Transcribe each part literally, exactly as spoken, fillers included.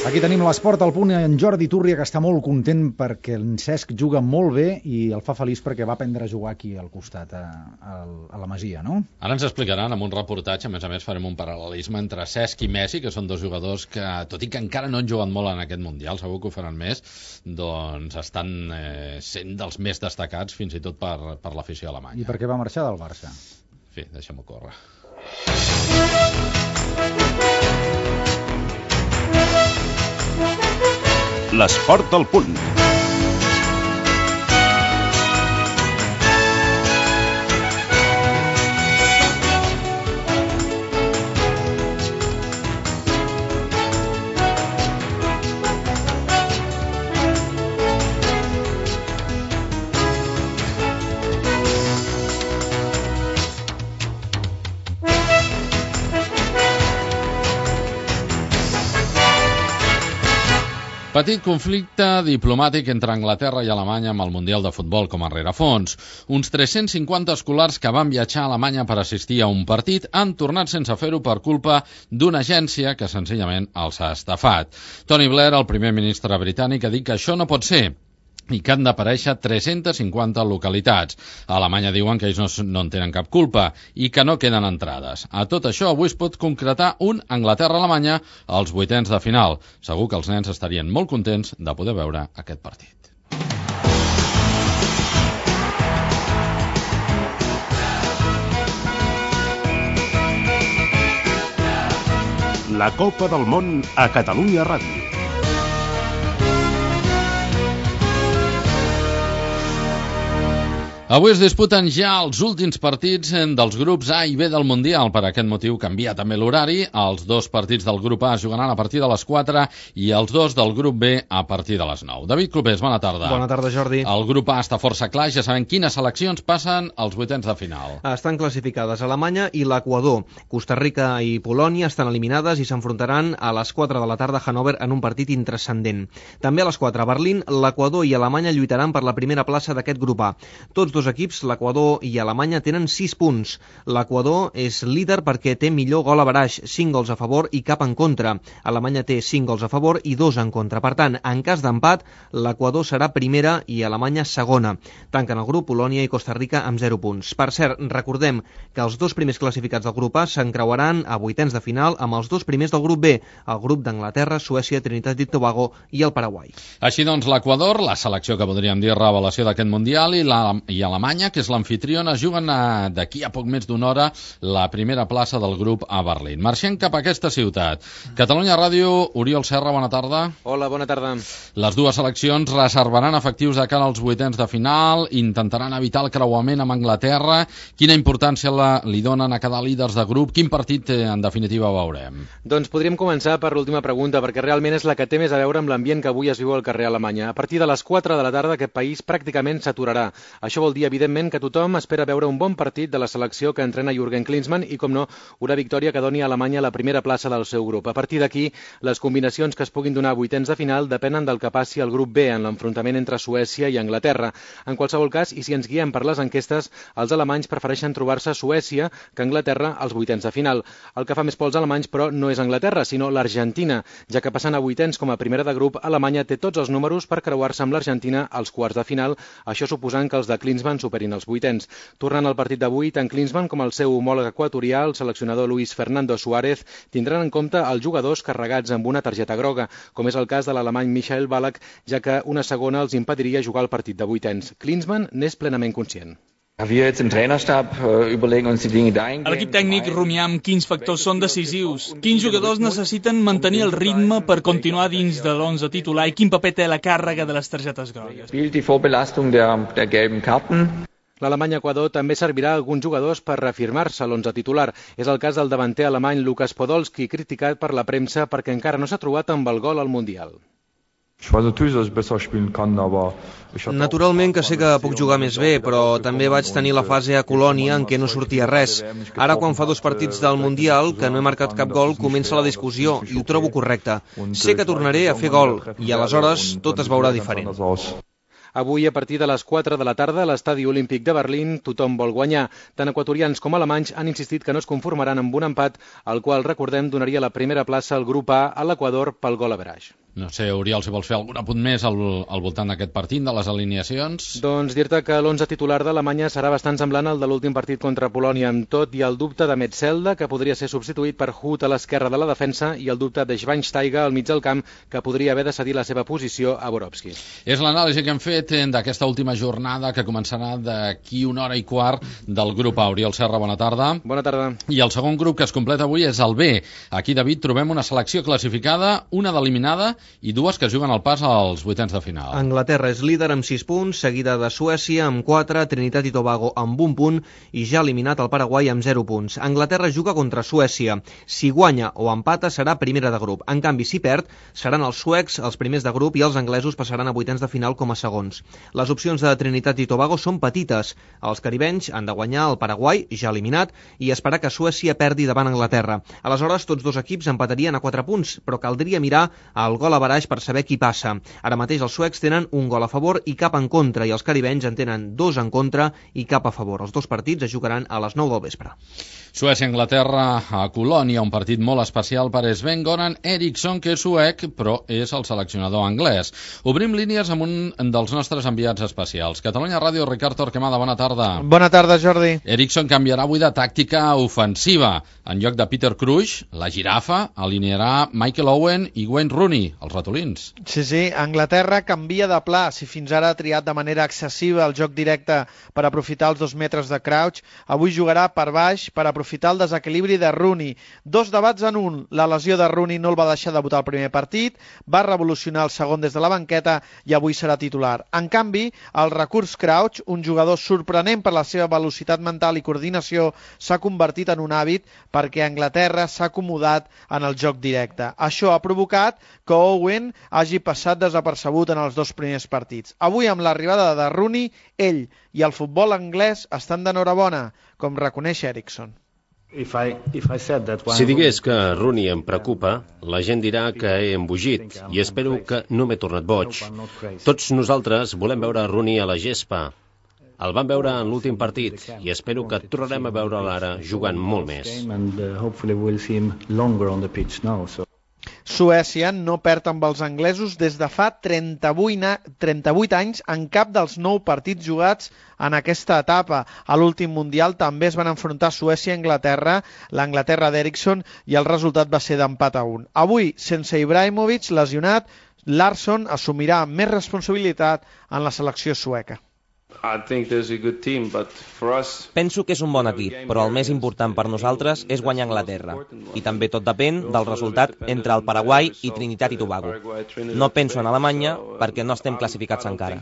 Aquí tenim l'esport al punt, en Jordi Túrria, que està molt content perquè en Cesc juga molt bé i el fa feliç perquè va aprendre a jugar aquí al costat, a, a, a la Masia, no? Ara ens explicaran amb un reportatge, a més a més farem un paral·lelisme entre Cesc i Messi, que són dos jugadors que, tot i que encara no han jugat molt en aquest Mundial, segur que ho faran més, doncs estan eh, sent dels més destacats fins i tot per, per l'afició alemanya. I per què va marxar del Barça? En fi, deixem-ho córrer. L'esport al punt. Petit conflicte diplomàtic entre Anglaterra i Alemanya amb el Mundial de Futbol com a rerefons. Uns tres-cents cinquanta escolars que van viatjar a Alemanya per assistir a un partit han tornat sense fer-ho per culpa d'una agència que senzillament els ha estafat. Tony Blair, el primer ministre britànic, ha dit que això no pot ser i que han d'aparèixer tres-centes cinquanta localitats. A Alemanya diuen que ells no, no en tenen cap culpa i que no queden entrades. A tot això, avui es pot concretar un Anglaterra-Alemanya als vuitens de final. Segur que els nens estarien molt contents de poder veure aquest partit. La Copa del Món a Catalunya Ràdio. Avui es disputen ja els últims partits dels grups A i B del Mundial. Per aquest motiu canvia també l'horari. Els dos partits del grup A es jugaran a partir de les quatre i els dos del grup B a partir de les nou. David Clopés, bona tarda. Bona tarda, Jordi. El grup A està força clar, ja sabem quines seleccions passen als vuitens de final. Estan classificades Alemanya i l'Equador. Costa Rica i Polònia estan eliminades i s'enfrontaran a les quatre de la tarda a Hannover en un partit intranscendent. També a les quatre a Berlín, l'Equador i Alemanya lluitaran per la primera plaça d'aquest grup A. Tots dos equips, l'Equador i Alemanya, tenen sis punts. L'Equador és líder perquè té millor gol averaix, cinc gols a favor i cap en contra. Alemanya té cinc gols a favor i dos en contra. Per tant, en cas d'empat, l'Equador serà primera i Alemanya segona. Tanquen el grup Polònia i Costa Rica amb zero punts. Per cert, recordem que els dos primers classificats del grup A s'encreuaran a vuitens de final amb els dos primers del grup B, el grup d'Anglaterra, Suècia, Trinitat i Tobago i el Paraguai. Així doncs, l'Equador, la selecció que podríem dir revelació d'aquest Mundial, i la i Alemanya, que és l'amfitriona, juguen d'aquí a poc més d'una hora la primera plaça del grup a Berlín. Marxem cap a aquesta ciutat. Catalunya Ràdio, Oriol Serra, bona tarda. Hola, bona tarda. Les dues seleccions reservaran efectius de cara als vuitens de final, intentaran evitar el creuament amb Anglaterra. Quina importància la, li donen a cada líders de grup? Quin partit, en definitiva, veurem? Doncs podríem començar per l'última pregunta, perquè realment és la que té més a veure amb l'ambient que avui es viu al carrer a Alemanya. A partir de les quatre de la tarda aquest país pràcticament s'aturarà. Això vol dir evidentment que tothom espera veure un bon partit de la selecció que entrena Jürgen Klinsmann i, com no, una victòria que doni a Alemanya la primera plaça del seu grup. A partir d'aquí, les combinacions que es puguin donar a vuitens de final depenen del que passi al grup B en l'enfrontament entre Suècia i Anglaterra. En qualsevol cas, i si ens guiem per les enquestes, els alemanys prefereixen trobar-se a Suècia que a Anglaterra als vuitens de final. El que fa més por als alemanys, però, no és Anglaterra, sinó l'Argentina, ja que passant a vuitens com a primera de grup, Alemanya té tots els números per creuar-se amb l'Argentina als quarts de final, això suposant que els de Klinsmann superin els vuitens. Tornant al partit d'avui, tant Klinsmann com el seu homòleg equatorià, el seleccionador Luis Fernando Suárez, tindran en compte els jugadors carregats amb una targeta groga, com és el cas de l'alemany Michael Ballack, ja que una segona els impediria jugar el partit de vuitens. Klinsmann n'és plenament conscient. L'equip tècnic rumia amb quins factors són decisius, quins jugadors necessiten mantenir el ritme per continuar dins de l'onze titular i quin paper té la càrrega de les targetes grogues. L'Alemanya-Equador també servirà a alguns jugadors per reafirmar-se a l'onze titular. És el cas del davanter alemany Lukas Podolski, criticat per la premsa perquè encara no s'ha trobat amb el gol al Mundial. Naturalment que sé que puc jugar més bé, però també vaig tenir la fase a Colònia en què no sortia res. Ara, quan fa dos partits del Mundial, que no he marcat cap gol, comença la discussió i ho trobo correcte. Sé que tornaré a fer gol i aleshores tot es veurà diferent. Avui, a partir de les quatre de la tarda, a l'Estadi Olímpic de Berlín, tothom vol guanyar. Tant equatorians com alemanys han insistit que no es conformaran amb un empat, el qual, recordem, donaria la primera plaça al grup A a l'Equador pel gol average. No sé, Oriol, si vols fer algun apunt més al, al voltant d'aquest partit, de les alineacions. Doncs dir-te que l'onze titular d'Alemanya serà bastant semblant al de l'últim partit contra Polònia, amb tot i el dubte de Metzelda, que podria ser substituït per Huth a l'esquerra de la defensa, i el dubte de Schweinsteiger al mig del camp, que podria haver de cedir la seva posició a Borowski. És l'anàlisi que hem fet d'aquesta última jornada, que començarà d'aquí una hora i quart del grup A. Oriol Serra, bona tarda. Bona tarda. I el segon grup que es completa avui és el B. Aquí, David, trobem una selecció classificada, una d'eliminada i dues que juguen el pas als vuitens de final. Anglaterra és líder amb sis punts, seguida de Suècia amb quatre, Trinitat i Tobago amb un punt i ja eliminat el Paraguai amb zero punts. Anglaterra juga contra Suècia. Si guanya o empata serà primera de grup. En canvi, si perd, seran els suecs els primers de grup i els anglesos passaran a vuitens de final com a segons. Les opcions de Trinitat i Tobago són petites. Els caribenys han de guanyar el Paraguai, ja eliminat, i esperar que Suècia perdi davant Anglaterra. Aleshores, tots dos equips empatarien a quatre punts, però caldria mirar el gol average per saber qui passa. Ara mateix els suecs tenen un gol a favor i cap en contra, i els caribenys en tenen dos en contra i cap a favor. Els dos partits es jugaran a les nou del vespre. Suècia-Anglaterra a Colònia, un partit molt especial per Sven-Goran Eriksson, que és suec, però és el seleccionador anglès. Obrim línies amb un dels nostres enviats especials. Catalunya Ràdio, Ricard Torquemada, bona tarda. Bona tarda, Jordi. Eriksson canviarà avui de tàctica ofensiva. En lloc de Peter Crouch, la girafa, alinearà Michael Owen i Wayne Rooney, els ratolins. Sí, sí, Anglaterra canvia de pla. Si fins ara ha triat de manera excessiva el joc directe per aprofitar els dos metres de Crouch, avui jugarà per baix per aprofitar el desequilibri de Rooney. Dos debats en un. La lesió de Rooney no el va deixar debutar el primer partit, va revolucionar el segon des de la banqueta i avui serà titular. En canvi, el recurs Crouch, un jugador sorprenent per la seva velocitat mental i coordinació, s'ha convertit en un hàbit perquè Anglaterra s'ha acomodat en el joc directe. Això ha provocat que Owen hagi passat desapercebut en els dos primers partits. Avui, amb l'arribada de Rooney, ell i el futbol anglès estan d'enhorabona, com reconeix Eriksson. Si digués que Rooney em preocupa, la gent dirà que he embogit i espero que no m'he tornat boig. Tots nosaltres volem veure Rooney a la gespa. El vam veure en l'últim partit i espero que tornarem a veure'l ara jugant molt més. Suècia no perd amb els anglesos des de fa trenta-vuit anys en cap dels nou partits jugats en aquesta etapa. A l'últim Mundial també es van enfrontar Suècia i Anglaterra, l'Anglaterra d'Eriksson, i el resultat va ser d'empat a un. Avui, sense Ibrahimovic lesionat, Larsson assumirà més responsabilitat en la selecció sueca. Penso que és un bon equip, però el més important per nosaltres és guanyar Anglaterra. I també tot depèn del resultat entre el Paraguai i Trinitat i Tobago. No penso en Alemanya perquè no estem classificats encara.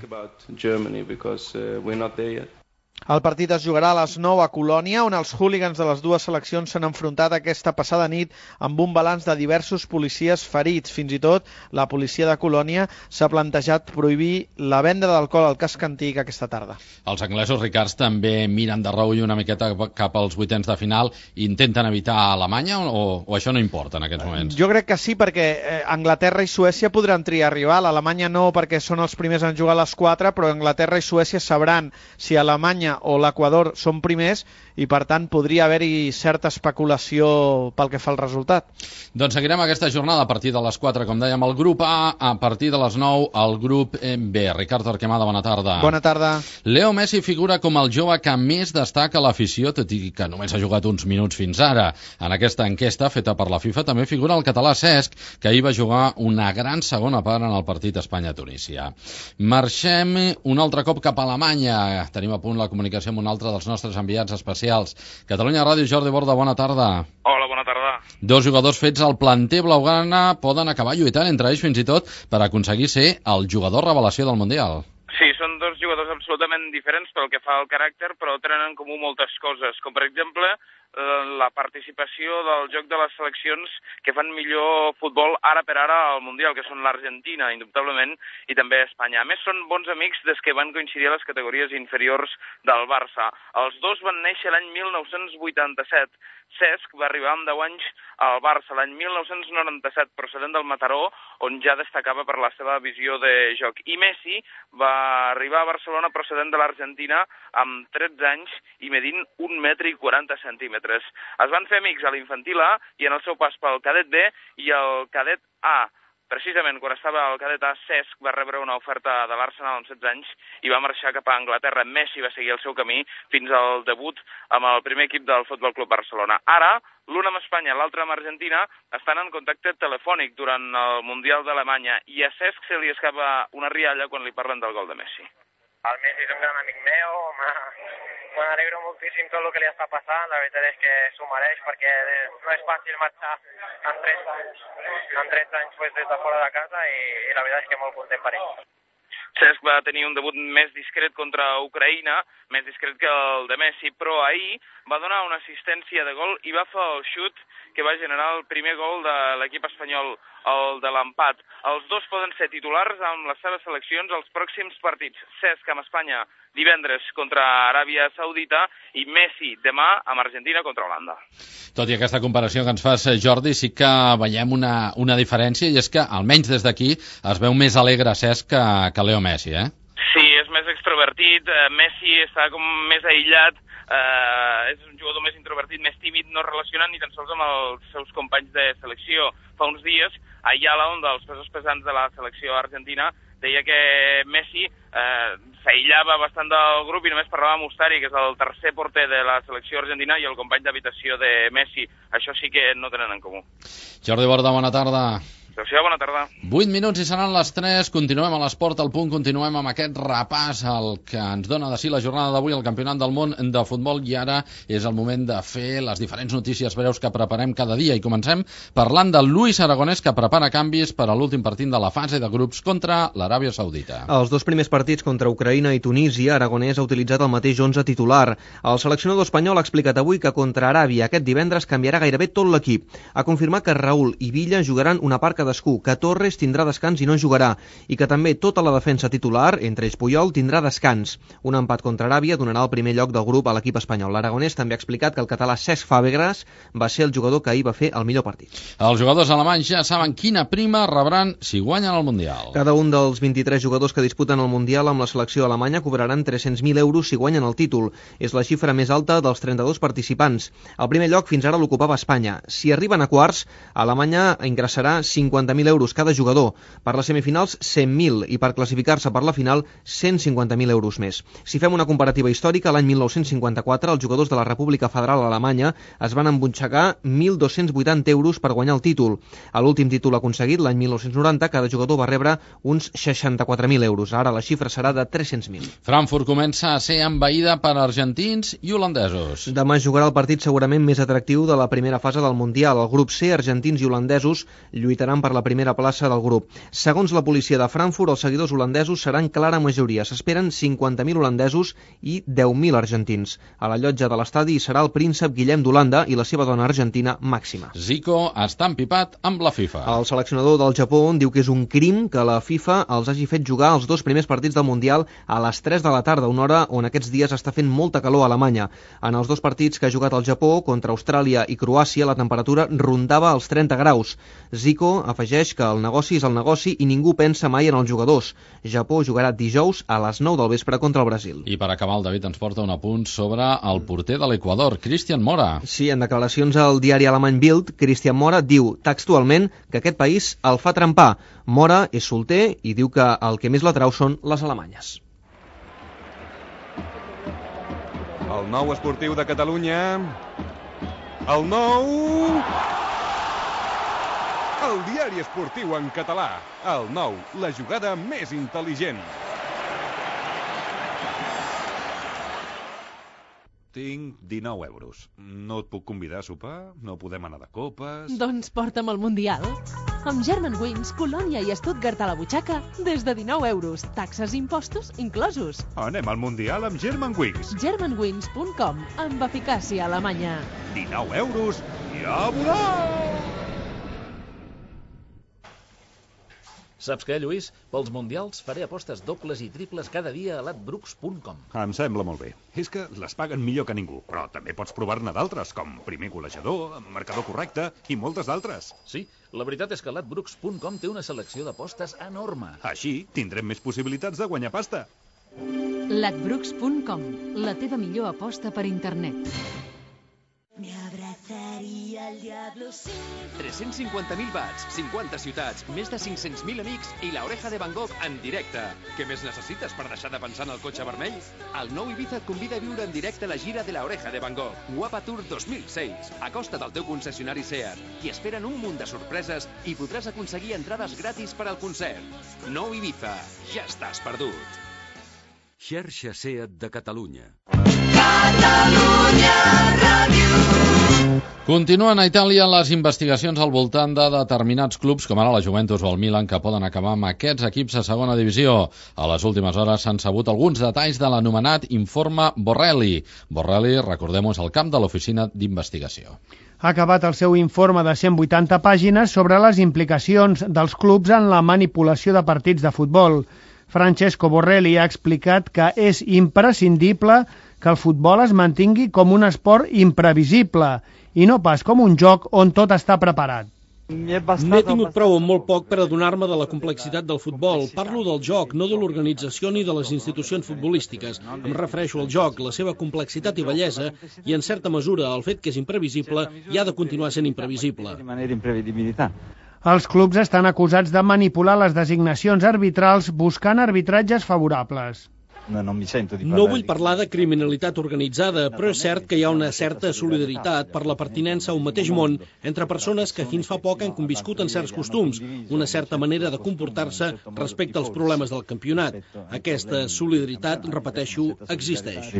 El partit es jugarà a les nou a Colònia, on els hooligans de les dues seleccions s'han enfrontat aquesta passada nit amb un balanç de diversos policies ferits. Fins i tot la policia de Colònia s'ha plantejat prohibir la venda d'alcohol al casc antic aquesta tarda. Els anglesos, Ricards, també miren de reull una miqueta cap als vuitens de final i intenten evitar Alemanya o, o això no importa en aquests moments? Jo crec que sí, perquè eh, Anglaterra i Suècia podran triar rival. Alemanya no, perquè són els primers en jugar a les quatre, però Anglaterra i Suècia sabran si Alemanya o l'Equador són primers i per tant podria haver-hi certa especulació pel que fa al resultat. Doncs seguirem aquesta jornada a partir de les quatre, com dèiem, el grup A, a partir de les nou el grup B. Ricard Torquemada, bona tarda. Bona tarda. Leo Messi figura com el jove que més destaca l'afició, tot i que només ha jugat uns minuts fins ara. En aquesta enquesta feta per la FIFA també figura el català Cesc, que ahir va jugar una gran segona part en el partit Espanya-Tunísia. Marxem un altre cop cap a Alemanya. Tenim a punt la comunicació amb un altre dels nostres enviats especials. Catalunya Ràdio, Jordi Borda, bona tarda. Hola, bona tarda. Dos jugadors fets al planter blaugrana poden acabar lluitant entre ells fins i tot per aconseguir ser el jugador revelació del Mundial. Sí, són dos jugadors absolutament diferents pel que fa al caràcter, però tenen en comú moltes coses, com per exemple la participació del joc de les seleccions que fan millor futbol ara per ara al Mundial, que són l'Argentina, indubtablement, i també Espanya. A més, són bons amics des que van coincidir a les categories inferiors del Barça. Els dos van néixer l'any mil nou-cents vuitanta-set. Cesc va arribar amb deu anys al Barça l'any mil nou-cents noranta-set, procedent del Mataró, on ja destacava per la seva visió de joc. I Messi va arribar a Barcelona procedent de l'Argentina amb tretze anys i medint un metre i quaranta centímetres. Es van fer amics a l'infantil A i en el seu pas pel cadet B i el cadet A. Precisament quan estava al cadet A, Cesc va rebre una oferta de l'Arsenal amb setze anys i va marxar cap a Anglaterra. Messi va seguir el seu camí fins al debut amb el primer equip del Futbol Club Barcelona. Ara, l'un amb Espanya, l'altre amb Argentina, estan en contacte telefònic durant el Mundial d'Alemanya i a Cesc se li escapa una rialla quan li parlen del gol de Messi. El Messi és un gran amic meu, me n'alegro moltíssim tot el que li està passant, la veritat és que s'ho mereix perquè no és fàcil marxar en tretze anys pues, des de fora de casa i, i la veritat és que molt content per ell. Cesc va tenir un debut més discret contra Ucraïna, més discret que el de Messi, però ahir va donar una assistència de gol i va fer el xut que va generar el primer gol de l'equip espanyol, el de l'empat. Els dos poden ser titulars amb les seves seleccions als pròxims partits. Cesc amb Espanya divendres contra Aràbia Saudita i Messi demà amb Argentina contra Holanda. Tot i aquesta comparació que ens fas, Jordi, sí que veiem una, una diferència i és que, almenys des d'aquí, es veu més alegre Cesc que, que Leo Messi, eh? Sí, és més extrovertit, Messi està com més aïllat, eh, és un jugador més introvertit, més tímid, no relacionant ni tan sols amb els seus companys de selecció. Fa uns dies, Ayala, un dels pesos pesants de la selecció argentina, deia que Messi eh, s'aïllava bastant del grup i només parlava amb Ustari, que és el tercer porter de la selecció argentina i el company d'habitació de Messi. Això sí que no tenen en comú. Jordi Borda, bona tarda. Gràcies, bona tarda. vuit minuts i seran les tres. Continuem a l'Esport al Punt, continuem amb aquest repàs al que ens dona de si la jornada d'avui al Campionat del Món de Futbol i ara és el moment de fer les diferents notícies breus que preparem cada dia i comencem parlant de Luis Aragonès, que prepara canvis per a l'últim partit de la fase de grups contra l'Aràbia Saudita. Els dos primers partits contra Ucraïna i Tunísia, Aragonès ha utilitzat el mateix onze titular. El seleccionador espanyol ha explicat avui que contra Aràbia aquest divendres canviarà gairebé tot l'equip. Ha confirmat que Raúl i Villa jugaran una part cadascú, que Torres tindrà descans i no jugarà, i que també tota la defensa titular, entre ells Puyol, tindrà descans. Un empat contra Aràbia donarà el primer lloc del grup a l'equip espanyol. L'Aragonès també ha explicat que el català Cesc Fàbregas va ser el jugador que ahir va fer el millor partit. Els jugadors alemanys ja saben quina prima rebran si guanyen el Mundial. Cada un dels vint-i-tres jugadors que disputen el Mundial amb la selecció alemanya cobraran tres-cents mil euros si guanyen el títol. És la xifra més alta dels trenta-dos participants. El primer lloc fins ara l'ocupava Espanya. Si arriben a quarts, Alemanya ingressarà cinquanta mil euros cada jugador. Per les semifinals, cent mil i per classificar-se per la final, cent cinquanta mil euros més. Si fem una comparativa històrica, l'any mil nou-cents cinquanta-quatre els jugadors de la República Federal Alemanya es van embutxacar mil dos-cents vuitanta euros per guanyar el títol. A l'últim títol aconseguit, l'any mil nou-cents noranta, cada jugador va rebre uns seixanta-quatre mil euros. Ara la xifra serà de tres-cents mil. Frankfurt comença a ser envaïda per argentins i holandesos. Demà jugarà el partit segurament més atractiu de la primera fase del Mundial. El grup C, argentins i holandesos lluitaran per la primera plaça del grup. Segons la policia de Frankfurt, els seguidors holandesos seran clara majoria. S'esperen cinquanta mil holandesos i deu mil argentins. A la llotja de l'estadi serà el príncep Guillem d'Holanda i la seva dona argentina Màxima. Zico està empipat amb la FIFA. El seleccionador del Japó diu que és un crim que la FIFA els hagi fet jugar els dos primers partits del Mundial a les tres de la tarda, una hora on aquests dies està fent molta calor a Alemanya. En els dos partits que ha jugat el Japó, contra Austràlia i Croàcia, la temperatura rondava els trenta graus. Zico afegeix que el negoci és el negoci i ningú pensa mai en els jugadors. Japó jugarà dijous a les nou del vespre contra el Brasil. I per acabar, el David ens porta un apunt sobre el porter de l'Equador, Cristian Mora. Sí, en declaracions al diari alemany Bild, Cristian Mora diu textualment que aquest país el fa trempar. Mora és solter i diu que el que més l'atrau són les alemanyes. El nou esportiu de Catalunya... El nou... El diari esportiu en català. El nou, la jugada més intel·ligent. Tinc dinou euros. No et puc convidar a sopar? No podem anar de copes? Doncs porta'm al Mundial. Amb Germanwings, Colònia i Stuttgart a la butxaca, des de dinou euros. Taxes i impostos inclosos. Anem al Mundial amb Germanwings. Germanwings punt com, amb eficàcia alemanya. dinou euros i a volar! Saps què, Lluís? Pels mundials faré apostes dobles i triples cada dia a ladbrooks punt com. Em sembla molt bé. És que les paguen millor que ningú, però també pots provar-ne d'altres, com primer golejador, marcador correcte i moltes d'altres. Sí, la veritat és que ladbrooks punt com té una selecció d'apostes enorme. Així tindrem més possibilitats de guanyar pasta. ladbrooks punt com, la teva millor aposta per internet. Me abrazaría el diablo sin... tres-cents cinquanta mil watts, cinquanta ciutats, més de cinc-cents mil amics i la Oreja de Van Gogh en directe. Què més necessites per deixar de pensar en el cotxe vermell? El nou Ibiza et convida a viure en directe la gira de la Oreja de Van Gogh, Guapa Tour dos mil sis. Acosta't al teu concessionari SEAT i espera'n un munt de sorpreses i podràs aconseguir entrades gratis per al concert. Nou Ibiza, ja estàs perdut. Xarxa SEAT de Catalunya. Catalunya Ràdio. Continuen a Itàlia les investigacions al voltant de determinats clubs, com ara la Juventus o el Milan, que poden acabar amb aquests equips a segona divisió. A les últimes hores s'han sabut alguns detalls de l'anomenat informe Borrelli. Borrelli, recordem-ho, és el camp de l'oficina d'investigació. Ha acabat el seu informe de cent vuitanta pàgines sobre les implicacions dels clubs en la manipulació de partits de futbol. Francesco Borrelli ha explicat que és imprescindible que el futbol es mantingui com un esport imprevisible i no pas com un joc on tot està preparat. N'he tingut prou amb molt poc per adonar-me de la complexitat del futbol. Parlo del joc, no de l'organització ni de les institucions futbolístiques. Em refereixo al joc, la seva complexitat i bellesa, i en certa mesura el fet que és imprevisible i ha de continuar sent imprevisible. Els clubs estan acusats de manipular les designacions arbitrals buscant arbitratges favorables. No vull parlar de criminalitat organitzada, però és cert que hi ha una certa solidaritat per la pertinença a un mateix món entre persones que fins fa poc han conviscut en certs costums, una certa manera de comportar-se respecte als problemes del campionat. Aquesta solidaritat, repeteixo, existeix.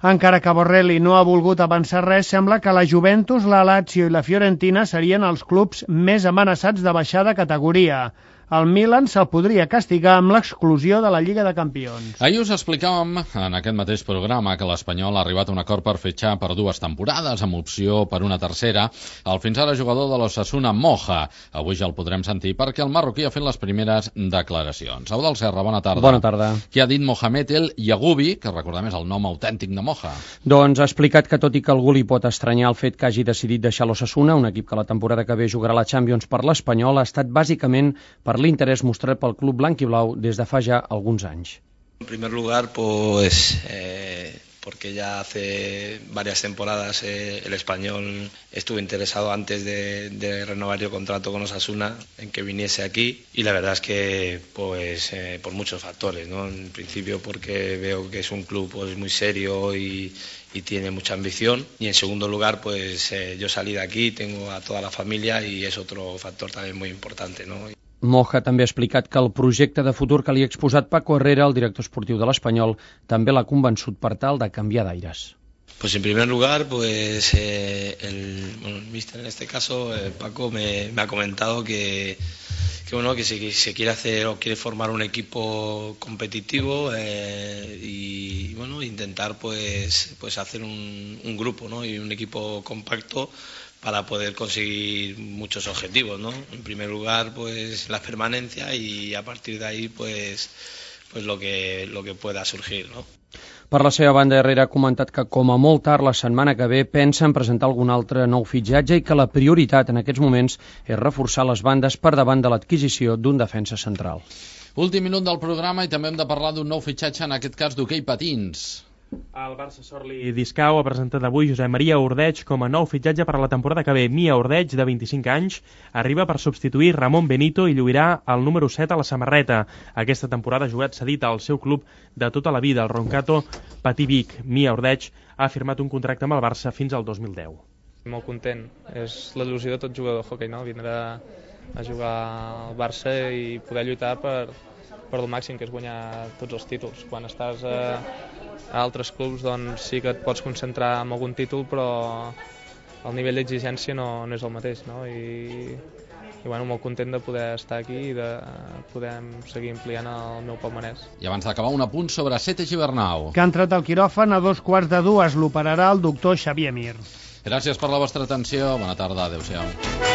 Encara que Borrelli no ha volgut avançar res, sembla que la Juventus, la Lazio i la Fiorentina serien els clubs més amenaçats de baixar de categoria. El Milan se'l podria castigar amb l'exclusió de la Lliga de Campions. Ahir us explicàvem en aquest mateix programa que l'Espanyol ha arribat a un acord per fitxar per dues temporades amb opció per una tercera el fins ara jugador de l'Osasuna Moja. Avui ja el podrem sentir perquè el marroquí ha fet les primeres declaracions. Eudald Serra, bona tarda. Bona tarda. Què ha dit Mohamed El Yagoubi, que recordem és el nom autèntic de Moja? Doncs ha explicat que tot i que algú li pot estranyar el fet que hagi decidit deixar l'Osasuna, un equip que la temporada que ve jugarà la Champions per l'Espanyol, ha estat bàsicament per l'interès mostrat pel club blanc i blau des de fa ja alguns anys. En primer lugar, pues eh, porque ya hace varias temporadas eh, el Español estuvo interesado antes de, de renovar el contrato con Osasuna en que viniese aquí, y la verdad es que pues eh, por muchos factores, ¿no? En principio porque veo que es un club pues muy serio y y tiene mucha ambición, y en segundo lugar pues eh, yo salí de aquí, tengo a toda la familia y es otro factor también muy importante, ¿no? Moja també ha explicat que el projecte de futur que li ha exposat Paco Herrera, el director esportiu de l'Espanyol, també l'ha convençut per tal de canviar d'aires. Pues en primer lugar, pues eh, el, bueno, el míster en este caso, eh, Paco, me, me ha comentado que, que bueno, que se, se quiere hacer o quiere formar un equipo competitivo eh, y bueno, intentar pues, pues hacer un, un grupo, ¿no? Y un equipo compacto para poder conseguir muchos objetivos, ¿no? En primer lugar, pues la permanencia, y a partir de ahí, pues, pues lo que lo que pueda surgir, ¿no? Per la seva banda, Herrera ha comentat que com a molt tard la setmana que ve pensa en presentar algun altre nou fitxatge i que la prioritat en aquests moments és reforçar les bandes per davant de l'adquisició d'un defensa central. Últim minut del programa i també hem de parlar d'un nou fitxatge, en aquest cas d'hoquei patins. El Barça Sorli Discau ha presentat avui Josep Maria Ordeig com a nou fitxatge per a la temporada que ve. Mia Ordeig, de vint-i-cinc anys, arriba per substituir Ramon Benito i lluirà el número set a la samarreta. Aquesta temporada ha jugat cedit al seu club de tota la vida, el Roncato Patí Vic. Mia Ordeig ha firmat un contracte amb el Barça fins al dos mil deu. Molt content. És l'il·lusió de tot jugador de hoquei, no? Vindre a jugar al Barça i poder lluitar per, per el màxim, que és guanyar tots els títols. Quan estàs a, a altres clubs, doncs sí que et pots concentrar en algun títol, però el nivell d'exigència no, no és el mateix, no? I, i bueno, molt content de poder estar aquí i de poder seguir ampliant el meu palmarès. I abans d'acabar, un apunt sobre Sete Gibernau. Que ha entrat al quiròfan a dos quarts de dues. L'operarà el doctor Xavier Mir. Gràcies per la vostra atenció. Bona tarda. Adéu-siau.